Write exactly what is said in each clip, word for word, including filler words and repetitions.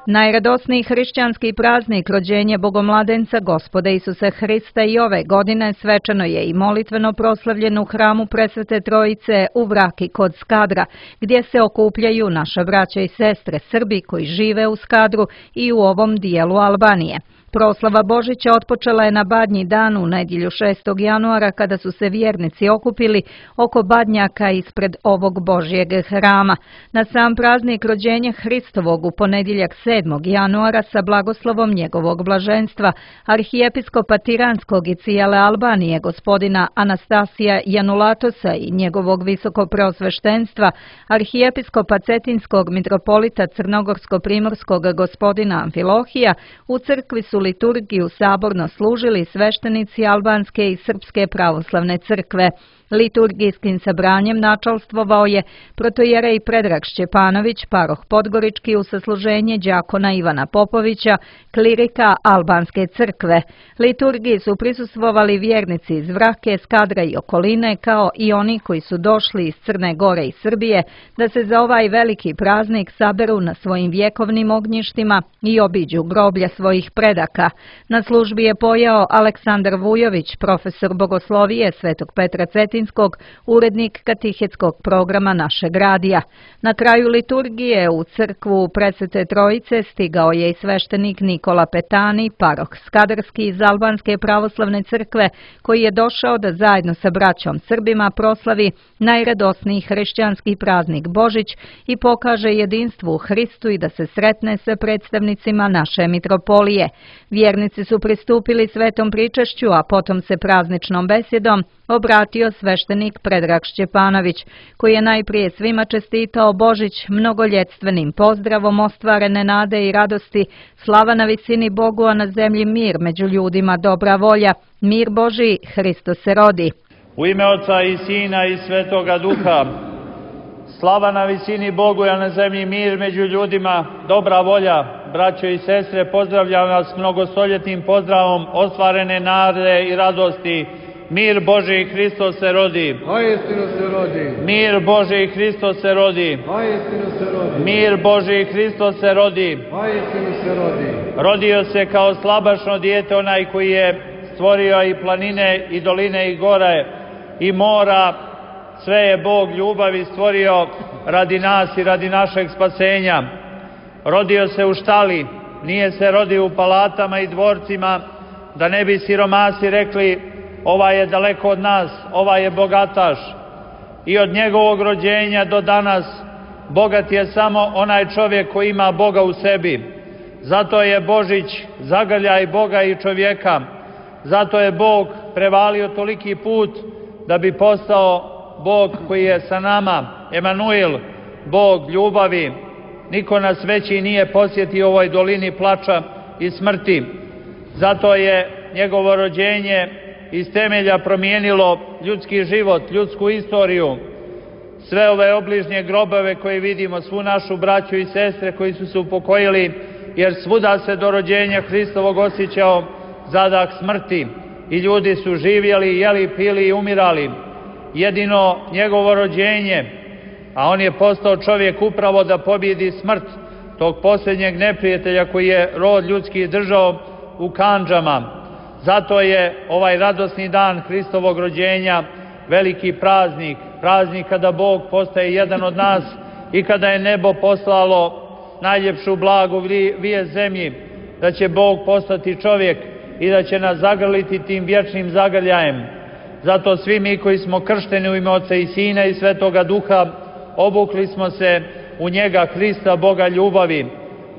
Najradosniji hrišćanski praznik rođenje Bogomladenca Gospoda Isusa Hrista i ove godine svečano je i molitveno proslavljen u hramu Presvete Trojice u Vraki kod Skadra, gdje se okupljaju naša braća i sestre Srbi koji žive u Skadru i u ovom dijelu Albanije. Proslava Božića otpočela je na Badnji dan u nedjelju šestog januara kada su se vjernici okupili oko badnjaka ispred ovog Božjeg hrama. Na sam praznik rođenja Hristovog u ponedjeljak sedmog januara sa blagoslovom njegovog blaženstva arhijepiskopa Tiranskog i cijele Albanije gospodina Anastasija Janulatosa i njegovog visokopreosveštenstva arhijepiskopa Cetinskog mitropolita Crnogorsko-primorskog gospodina Amfilohija u crkvi su liturgiju saborno služili sveštenici albanske i srpske pravoslavne crkve. Liturgijskim sabranjem načalstvovao je protojerej Predrag Šćepanović, paroh Podgorički u sasluženje đakona Ivana Popovića, klirika albanske crkve. Liturgiji su prisustvovali vjernici iz Vrake, Skadra i okoline, kao i oni koji su došli iz Crne Gore i Srbije, da se za ovaj veliki praznik saberu na svojim vjekovnim ognjištima i obiđu groblja svojih predaka. Na službi je pojao Aleksandar Vujović, profesor bogoslovije Svetog Petra Cetinskog, urednik katehetskog programa našeg radija. Na kraju liturgije u crkvu Presvete Trojice stigao je i sveštenik Nikola Petani, paroh Skadarski iz Albanske pravoslavne crkve, koji je došao da zajedno sa braćom Srbima proslavi najradosniji hrišćanski praznik Božić i pokaže jedinstvo u Hristu i da se sretne sa predstavnicima naše mitropolije. Vjernici su pristupili svetom pričašću, a potom se prazničnom besjedom obratio sveštenik Predrag Šćepanović, koji je najprije svima čestitao Božić mnogoljetstvenim pozdravom ostvarene nade i radosti, slava na visini Bogu, a na zemlji mir među ljudima, dobra volja, mir Božji, Hristo se rodi. U ime Oca i Sina i Svetoga Duha, slava na visini Bogu, a na zemlji mir među ljudima, dobra volja, braćo i sestre, pozdravljam vas mnogostoljetnim pozdravom ostvarene nade i radosti. Mir Božji, Hristo se rodi. Vajestinu se rodi. Mir Božji, Hristo se rodi. Vajestinu se rodi. Mir Božji, Hristo se rodi. Vajestinu se rodi. Rodio se kao slabašno dijete onaj koji je stvorio i planine i doline i gore i mora. Sve je Bog ljubavi stvorio radi nas i radi našeg spasenja. Rodio se u štali, nije se rodio u palatama i dvorcima, da ne bi siromasi rekli ovaj je daleko od nas, ovaj je bogataš. I od njegovog rođenja do danas bogat je samo onaj čovjek koji ima Boga u sebi. Zato je Božić zagrljaj Boga i čovjeka. Zato je Bog prevalio toliki put da bi postao Bog koji je sa nama, Emanuel, Bog ljubavi. Niko nas veći nije posjetio u ovoj dolini plača i smrti. Zato je njegovo rođenje iz temelja promijenilo ljudski život, ljudsku istoriju. Sve ove obližnje grobove koje vidimo, svu našu braću i sestre koji su se upokojili, jer svuda se do rođenja Hristovog osjećao zadah smrti i ljudi su živjeli, jeli, pili i umirali. Jedino njegovo rođenje, a on je postao čovjek upravo da pobjedi smrt, tog posljednjeg neprijatelja koji je rod ljudski držao u kandžama. Zato je ovaj radosni dan Hristovog rođenja veliki praznik, praznik kada Bog postaje jedan od nas i kada je nebo poslalo najljepšu blagu vijest zemlji, da će Bog postati čovjek i da će nas zagrliti tim vječnim zagrljajem. Zato svi mi koji smo kršteni u ime Oca i Sina i Svetoga Duha, obukli smo se u njega, Hrista, Boga ljubavi.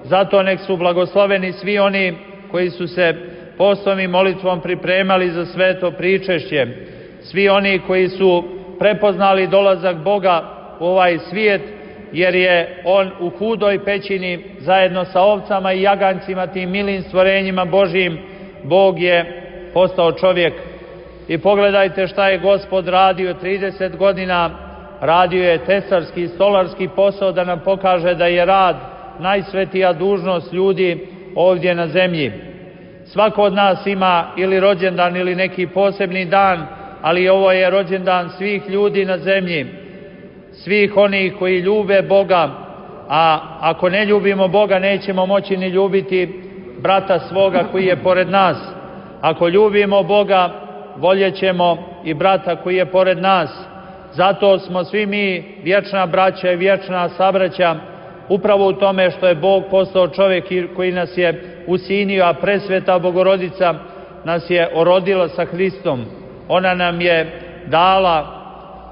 Zato nek su blagosloveni svi oni koji su se postom i molitvom pripremali za sveto pričešće. Svi oni koji su prepoznali dolazak Boga u ovaj svijet, jer je On u hudoj pećini zajedno sa ovcama i jagancima, tim milim stvorenjima Božjim, Bog je postao čovjek. I pogledajte šta je Gospod radio trideset godina, radio je tesarski, stolarski posao da nam pokaže da je rad najsvetija dužnost ljudi ovdje na zemlji. Svako od nas ima ili rođendan ili neki posebni dan, ali ovo je rođendan svih ljudi na zemlji, svih onih koji ljube Boga, a ako ne ljubimo Boga, nećemo moći ni ljubiti brata svoga koji je pored nas. Ako ljubimo Boga, voljećemo i brata koji je pored nas. Zato smo svi mi vječna braća i vječna sabraća, upravo u tome što je Bog postao čovjek koji nas je usinio, a presveta Bogorodica nas je orodila sa Hristom. Ona nam je dala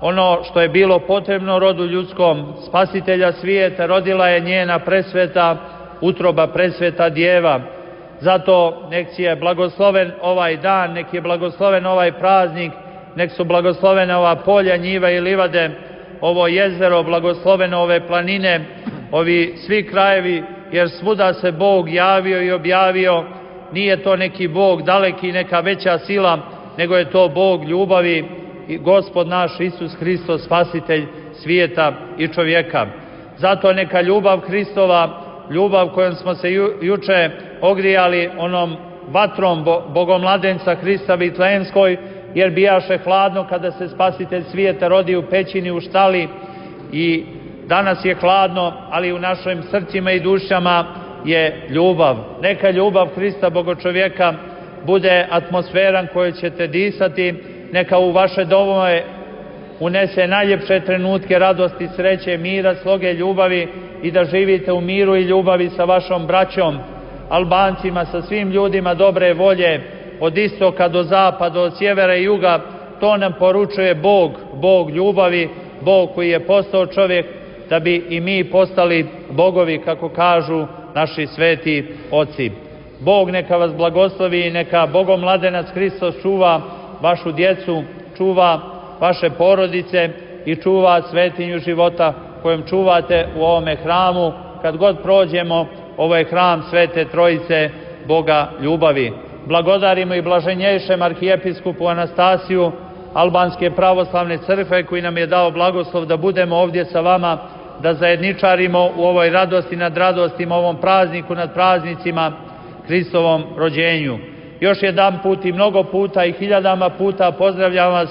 ono što je bilo potrebno rodu ljudskom, spasitelja svijeta, rodila je njena presveta utroba, presveta djeva. Zato nek je blagosloven ovaj dan, nek je blagosloven ovaj praznik, nek su blagoslovene ova polja, njiva i livade, ovo jezero, blagoslovene ove planine, ovi svi krajevi, jer svuda se Bog javio i objavio. Nije to neki Bog daleki, neka veća sila, nego je to Bog ljubavi i Gospod naš Isus Hristos, spasitelj svijeta i čovjeka. Zato neka ljubav Hristova, ljubav kojom smo se ju, juče ogrijali onom vatrom bo, Bogomladenca Hrista Vitlejemskoj, jer bijaše hladno kada se spasitelj svijeta rodi u pećini, u štali, i danas je hladno, ali u našim srcima i dušama je ljubav. Neka ljubav Hrista Bogočovjeka bude atmosferan koju ćete disati, neka u vaše domove unese najljepše trenutke radosti, sreće, mira, sloge, ljubavi, i da živite u miru i ljubavi sa vašom braćom, Albancima, sa svim ljudima dobre volje, od istoka do zapada, od sjevera i juga. To nam poručuje Bog, Bog ljubavi, Bog koji je postao čovjek da bi i mi postali bogovi, kako kažu naši sveti oci. Bog neka vas blagoslovi i neka Bogomladenac Hristos čuva vašu djecu, čuva vaše porodice i čuva svetinju života kojem čuvate u ovome hramu. Kad god prođemo, ovo je hram Svete Trojice, Boga ljubavi. Blagodarimo i blaženjejšem arhijepiskupu Anastasiju Albanske pravoslavne crkve, koji nam je dao blagoslov da budemo ovdje sa vama, da zajedničarimo u ovoj radosti nad radostima, ovom prazniku nad praznicima, Hristovom rođenju. Još jedan put i mnogo puta i hiljadama puta pozdravljam vas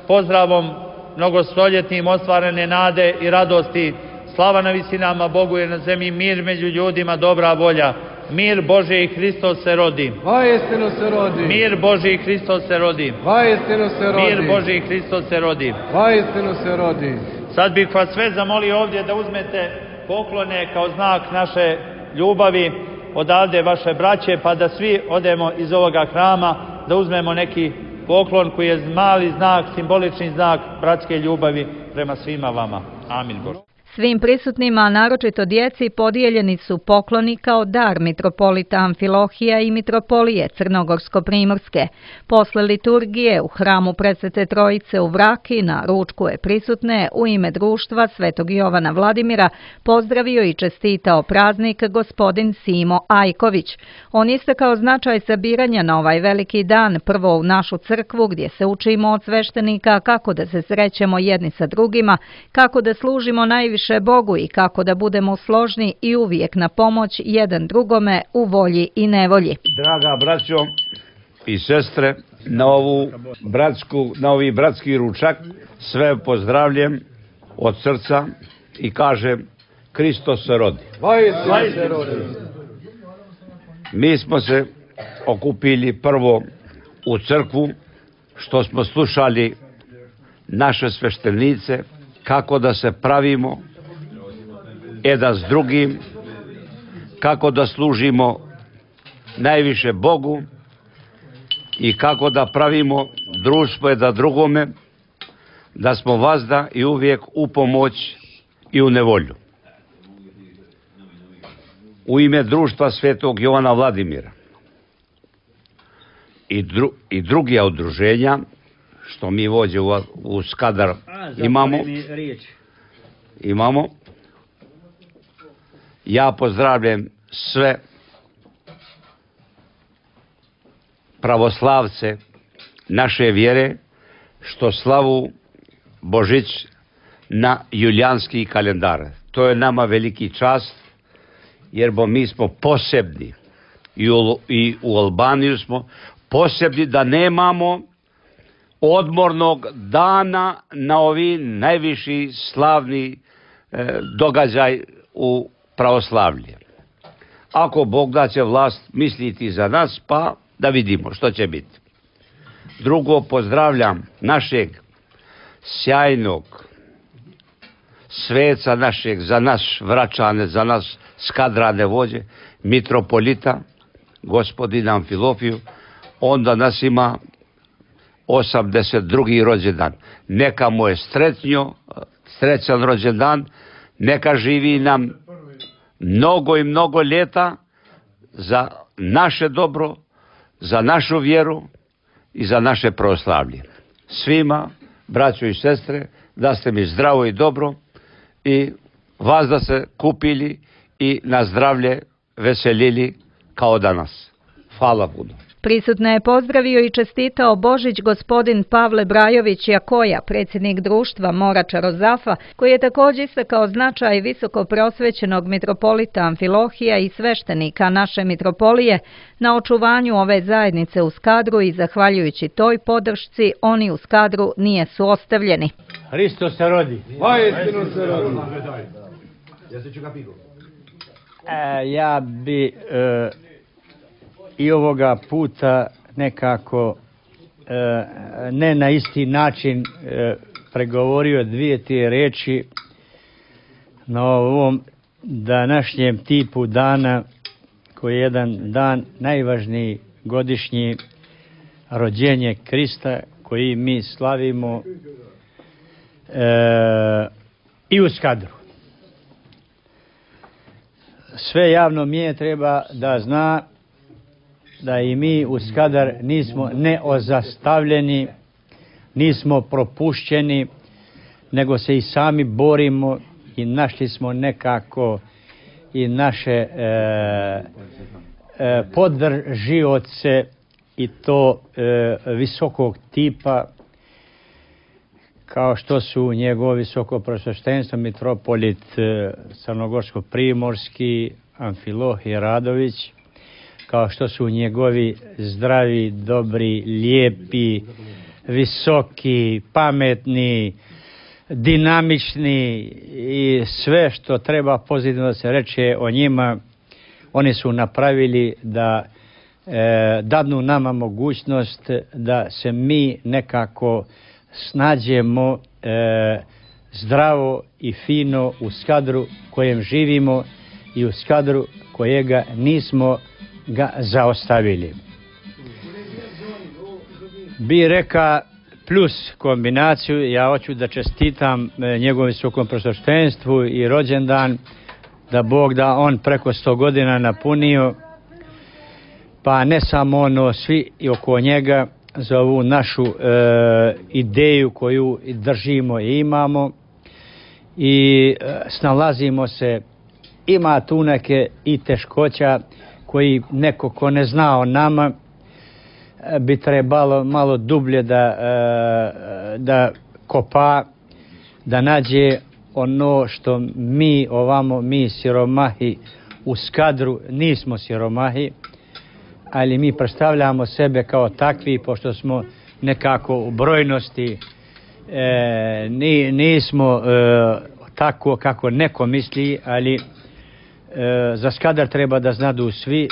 pozdravom mnogostoljetnim ostvarene nade i radosti. Slava na visinama Bogu, je na zemlji mir među ljudima, dobra volja. Mir Božji i Hristos se rodi. Vaistinu se rodi. Mir Božji i Hristos se rodi. Vaistinu se rodi. Mir Božji i Hristos se rodi. Vaistinu se rodi. Sad bih vas sve zamolio ovdje da uzmete poklone kao znak naše ljubavi odavde vaše braće, pa da svi odemo iz ovoga hrama, da uzmemo neki poklon koji je mali znak, simbolični znak bratske ljubavi prema svima vama. Amin Bože. Svim prisutnima, naročito djeci, podijeljeni su pokloni kao dar mitropolita Amfilohija i mitropolije Crnogorsko-Primorske. Posle liturgije u hramu Presvete Trojice u Vraki na ručku je prisutne u ime društva Svetog Jovana Vladimira pozdravio i čestitao praznik gospodin Simo Ajković. On istakao značaj sabiranja na ovaj veliki dan, prvo u našu crkvu gdje se učimo od sveštenika kako da se srećemo jedni sa drugima, kako da služimo najviše Bogu i kako da budemo složni i uvijek na pomoć jedan drugome u volji i nevolji. Draga braćo i sestre, na ovu bratsku, na ovi bratski ručak sve pozdravljam od srca i kažem Hristos se rodi. Vaistinu se rodi. Mi smo se okupili prvo u crkvu, što smo slušali naše sveštenice, kako da se pravimo jedan s drugim, kako da služimo najviše Bogu i kako da pravimo društvo jedan drugome, da smo vazda i uvijek u pomoć i u nevolju. U ime društva Svetog Jovana Vladimira i, dru, i drugih udruženja, što mi vođe u, u Skadar imamo, imamo, ja pozdravljam sve pravoslavce naše vjere što slavu Božić na julijanski kalendar. To je nama veliki čast, jer bo mi smo posebni i u, i u Albaniju smo posebni da nemamo odmornog dana na ovi najviši slavni e, događaj u pravoslavlje. Ako Bog da će vlast misliti za nas, pa da vidimo što će biti. Drugo, pozdravljam našeg sjajnog sveca našeg, za naš vraćane, za nas skadrane vođe, mitropolita, gospodina Amfilofiju. On danas ima osamdeset drugi rođendan. Neka mu je sretnjo, srećan rođendan, neka živi nam mnogo i mnogo ljeta za naše dobro, za našu vjeru i za naše pravoslavlje. Svima, braćo i sestre, da ste mi zdravo i dobro i vas da se kupili i na zdravlje veselili kao danas. Hvala puno. Prisutne je pozdravio i čestitao Božić gospodin Pavle Brajović Jakoja, predsjednik društva Morača Rozafa, koji je također istakao značaj visoko prosvećenog mitropolita Amfilohija i sveštenika naše mitropolije na očuvanju ove zajednice u Skadru i zahvaljujući toj podršci oni u Skadru nijesu ostavljeni. Hristos se rodi. Vajestinu se rodi. E, ja bi e, i ovoga puta nekako e, ne na isti način e, pregovorio dvije te reči na ovom današnjem tipu dana, koji je jedan dan najvažniji godišnji rođenje Krista, koji mi slavimo e, i u Skadru. Sve javno mije treba da zna da i mi u Skadar nismo neozastavljeni, nismo propušćeni, nego se i sami borimo i našli smo nekako i naše e, e, podržioce i to e, visokog tipa, kao što su njegovo visoko prosveštenstvo mitropolit e, Crnogorsko-primorski Amfilohije Radović, kao što su njegovi zdravi, dobri, lijepi, visoki, pametni, dinamični i sve što treba pozitivno da se reče o njima, oni su napravili da e, dadnu nama mogućnost da se mi nekako snađemo e, zdravo i fino u Skadru kojem živimo i u Skadru kojega nismo ga zaostavili. Bi reka plus kombinaciju, ja hoću da čestitam njegovom visokom prosveštenstvu i rođendan, da Bog da on preko sto godina napunio, pa ne samo ono, svi i oko njega, za ovu našu e, ideju koju držimo i imamo i e, snalazimo se, ima tu neke i teškoća koji neko ko ne zna o nama bi trebalo malo dublje da, da kopa, da nađe ono što mi ovamo, mi siromahi u Skadru nismo siromahi, ali mi predstavljamo sebe kao takvi, pošto smo nekako u brojnosti, e, nismo e, tako kako neko misli, ali E, za Skadar treba da znadu svi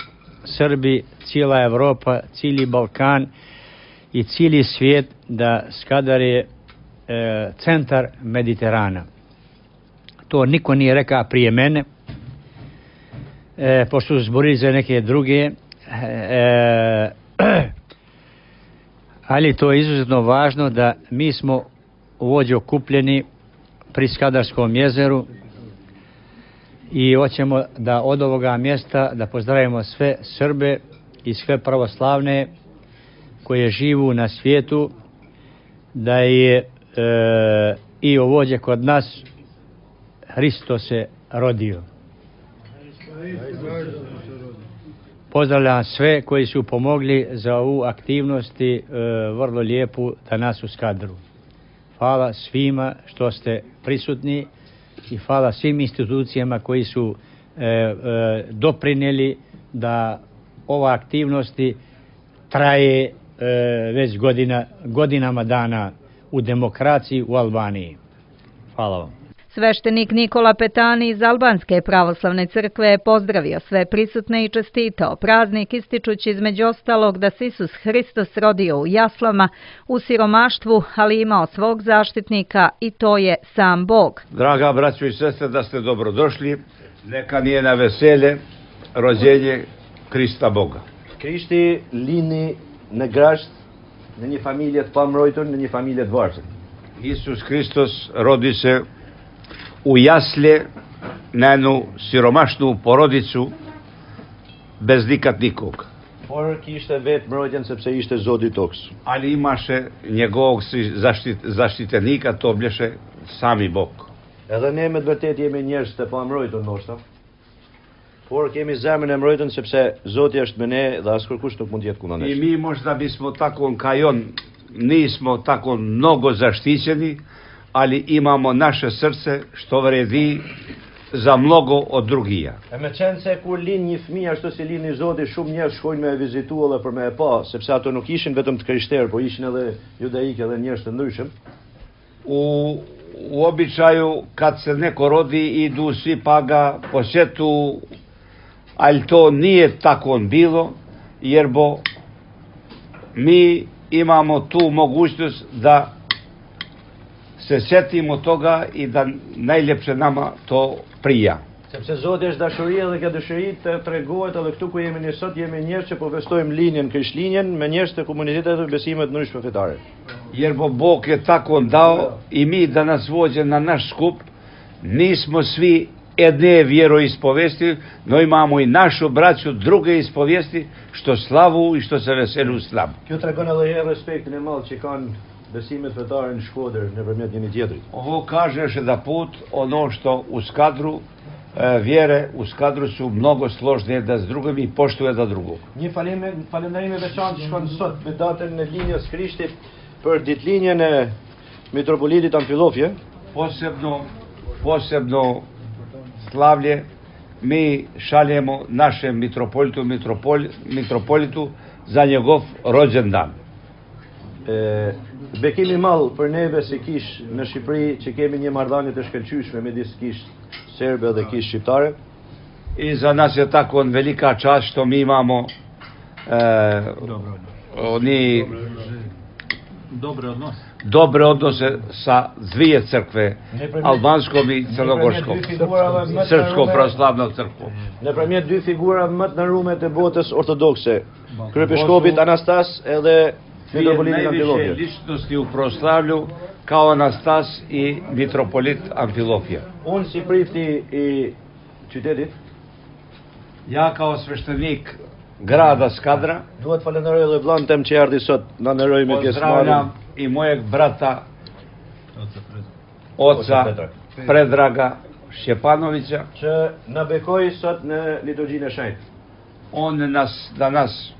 Srbi, cijela Evropa, cijeli Balkan i cijeli svijet da Skadar je e, centar Mediterana. To niko nije rekao prije mene, e, pošto su zborili za neke druge, e, ali to je izuzetno važno da mi smo ovdje okupljeni pri Skadarskom jezeru i hoćemo da od ovoga mjesta da pozdravimo sve Srbe i sve pravoslavne koje živu na svijetu, da je e, i ovdje kod nas Hristos se rodio. Pozdravljam sve koji su pomogli za ovu aktivnosti e, vrlo lijepu danas u Skadru. Hvala svima što ste prisutni i hvala svim institucijama koji su e, e, doprinijeli da ova aktivnosti traje e, već godina, godinama dana u demokraciji u Albaniji. Hvala vam. Sveštenik Nikola Petani iz Albanske pravoslavne crkve je pozdravio sve prisutne i čestitao praznik, ističući između ostalog da se Isus Hristos rodio u jaslama, u siromaštvu, ali imao svog zaštitnika i to je sam Bog. Draga braćo i sestre, da ste dobrodošli. Neka nije na veselje rođenje Krista Boga. Krishti lini në grasht, në një familje të pamrojtur, në një familje të varfër. Isus Hristos rodi se u jasle na jednu siromašnu porodicu bez nikad nikog. Por kishte vetë mbrojtjen sepse ishte Zoti i tokës. Ali imaše njegovog zaštit, zaštitenika, to bleše sami Bog. Edhe ne me të vërtet jemi njerëz të pamrojtur ndoshta. Por kemi zemrën e mbrojtur sepse Zoti është me ne dhe askush nuk mund të jetë kundër nesh. I mi možda bismo tako kao on nismo tako mnogo zaštićeni, ali imamo naše srce što vredi za mnogo od drugija. E me qenë se kur lind një fëmijë ashtu si lindi Zoti, shumë njerëz shkojnë me e vizitu edhe për me e pa, sepse ato nuk ishin vetëm të krishterë, por ishin edhe judaikë edhe njerëz të ndryshëm. U, u običaju kad se neko rodi idu svi pa ga posjetu, ali to nije tako bilo, jer bo mi imamo tu mogućnost da se sjetimo toga i da najljepše nama to prija. Sepse Zoti është dashuria dhe kjo dëshiri të tregohet edhe këtu ku jemi ne sot, jemi njerëz që po festojmë linjen, krishtlindjen me njerëz të komunitetet dhe besime të ndryshme fetare. Jer bo Bog je tako dao i mi da nas vođe na naš skup, nismo svi jedne vjeroispovesti, no imamo i našu braću druge ispovesti, što slavu i što se veselu slavu. Kjo tregon edhe herë respektin e madh që kanë besimet fetare në Shkodër nëpërmjet njëri tjetrit. Ovo kaže još jedan put ono što u Skadru e, vjere u Skadru su mnogo složnije da s drugim i poštuje da drugog. Një falënderim i veçantë shkon sot me datën e linjës Krishtit për ditëlinjen e mitropolitit Amfillofje. Posebno, posebno slavlje mi šaljemo našem mitropolitu, mitropol, mitropolitu za njegov rođendan. E, bekimi mall për neve si kish në Shqipëri që kemi një marrëdhënie të shkëlqyeshme midis kish serbe dhe kish shqiptare. I za nas je tako velika čast što mi imamo e, oni dobre odnose. Dobre odnose sa dvije crkve, albanskom i crnogorskom, srpskom pravoslavnom crkvom. Nëpërmjet dy figurave më të nderuara të botës ortodokse, kryepiskopit Anastas edhe mitropolitit Amfillofje. Najviše ličnosti u pravoslavlju kao Anastas i mitropolit Amfillofje. Unë si prifti i qytetit, ja kao sveštenik grada Skadra, duhet falenderoj edhe vllahën tem që erdhi sot na nderoj me pjesëmarrjen. Pozdravljam i mojeg brata oca Predraga Šćepanovića, që na bekoi sot në liturgjinë e shenjtë. On nas danas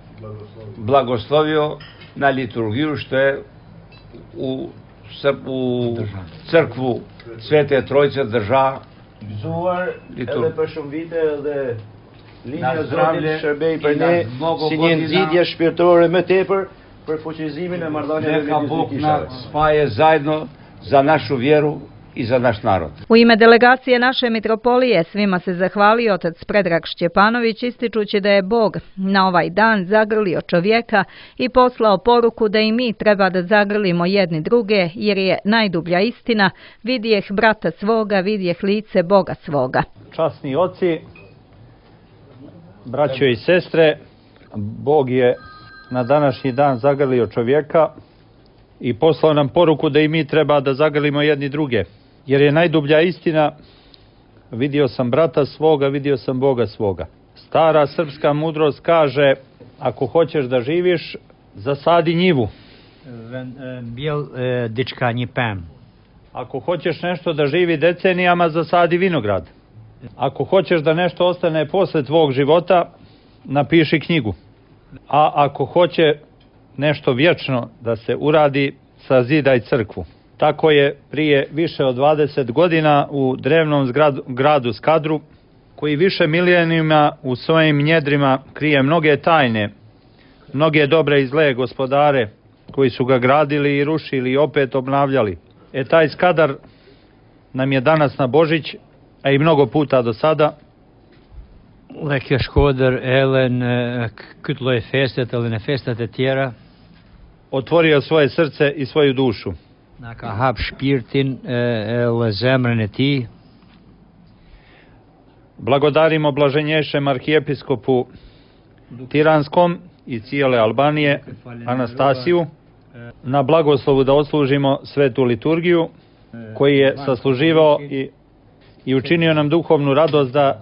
blagoslovio na liturgiju što je u, u crkvu Svete Trojice drža gëzuar edhe për shumë vite edhe linja e Zotit shërbej për ne si një nxitje shpirtërore më tepër për fuqizimin e marrëdhënieve Neka Bog nas spaje zajedno za našu vjeru i za naš narod. U ime delegacije naše mitropolije svima se zahvalio otac Predrag Šćepanović, ističući da je Bog na ovaj dan zagrlio čovjeka i poslao poruku da i mi treba da zagrlimo jedni druge, jer je najdublja istina: vidjeh brata svoga, vidjeh lice Boga svoga. Časni oci, braćo i sestre, Bog je na današnji dan zagrlio čovjeka i poslao nam poruku da i mi treba da zagrlimo jedni druge. Jer je najdublja istina: vidio sam brata svoga, vidio sam Boga svoga. Stara srpska mudrost kaže: ako hoćeš da živiš, zasadi njivu. Bijel dička një pem. Ako hoćeš nešto da živi decenijama, zasadi vinograd. Ako hoćeš da nešto ostane posle tvog života, napiši knjigu. A ako hoće nešto vječno da se uradi, sazidaj crkvu. Tako je prije više od dvadeset godina u drevnom zgradu, gradu Skadru, koji više milenijuma u svojim njedrima krije mnoge tajne, mnoge dobre i zle gospodare koji su ga gradili i rušili i opet obnavljali. E taj Skadar nam je danas na Božić, a i mnogo puta do sada, Lekker skoder elen kutloj festet ili ne festet etjera. otvorio svoje srce i svoju dušu. Naka hap špirtin el zemrene ti. Blagodarimo blaženješem arhijepiskopu Tiranskom i cijele Albanije, Anastasiju, na blagoslovu da odslužimo svetu liturgiju, koji je sasluživao i, i učinio nam duhovnu radost da,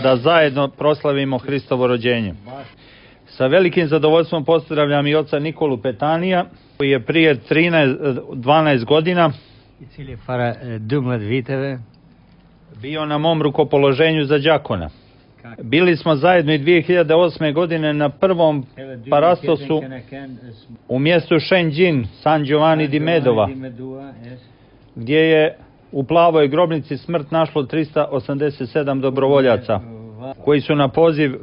da zajedno proslavimo Hristovo rođenje. Sa velikim zadovoljstvom pozdravljam i oca Nikolu Petanija, koji je prije trinaest dvanaest godina bio na mom rukopoloženju za đakona. Bili smo zajedno i dvije hiljade osme. godine na prvom parastosu u mjestu Šenđin, San Giovanni di Medova, gdje je u plavoj grobnici smrt našlo trista osamdeset sedam dobrovoljaca, koji su na poziv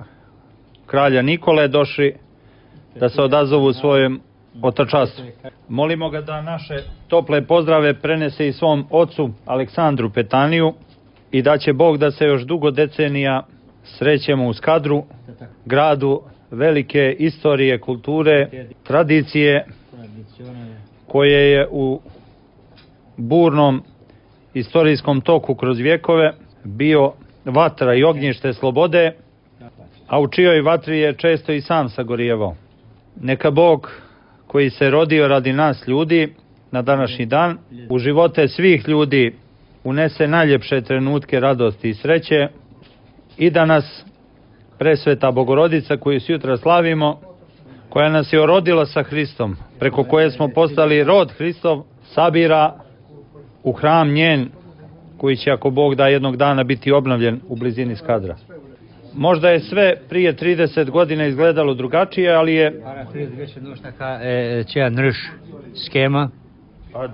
kralja Nikole došli da se odazovu svojem otačastvu. Molimo ga da naše tople pozdrave prenese i svom ocu Aleksandru Petaniju i da će Bog da se još dugo decenija srećemo u Skadru, gradu velike istorije, kulture, tradicije, koje je u burnom istorijskom toku kroz vjekove bio vatra i ognjište slobode, a u čijoj vatri je često i sam sagorijevao. Neka Bog, koji se rodio radi nas ljudi na današnji dan, u živote svih ljudi unese najljepše trenutke radosti i sreće i da nas presveta Bogorodica, koju sutra slavimo, koja nas je orodila sa Hristom, preko koje smo postali rod Hristov, sabira u hram njen, koji će, ako Bog da, jednog dana biti obnovljen u blizini Skadra. Možda je sve prije trideset godina izgledalo drugačije, ali je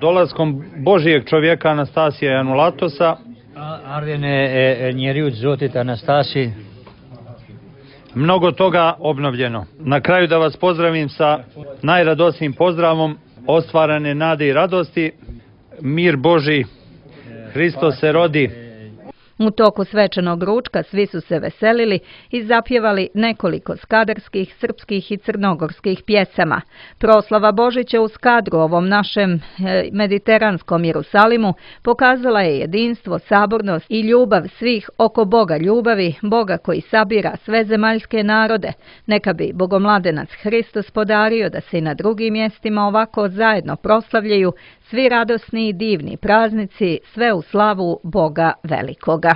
dolaskom Božijeg čovjeka Anastasija i Anulatosa mnogo toga obnovljeno. Na kraju da vas pozdravim sa najradosnijim pozdravom ostvarane nade i radosti. Mir Boži, Hristos se rodi. U toku svečanog ručka svi su se veselili i zapjevali nekoliko skadarskih, srpskih i crnogorskih pjesama. Proslava Božića u Skadru, ovom našem mediteranskom Jerusalimu, pokazala je jedinstvo, sabornost i ljubav svih oko Boga ljubavi, Boga koji sabira sve zemaljske narode. Neka bi Bogomladenac Hristos podario da se i na drugim mjestima ovako zajedno proslavljaju svi radosni i divni praznici, sve u slavu Boga velikoga.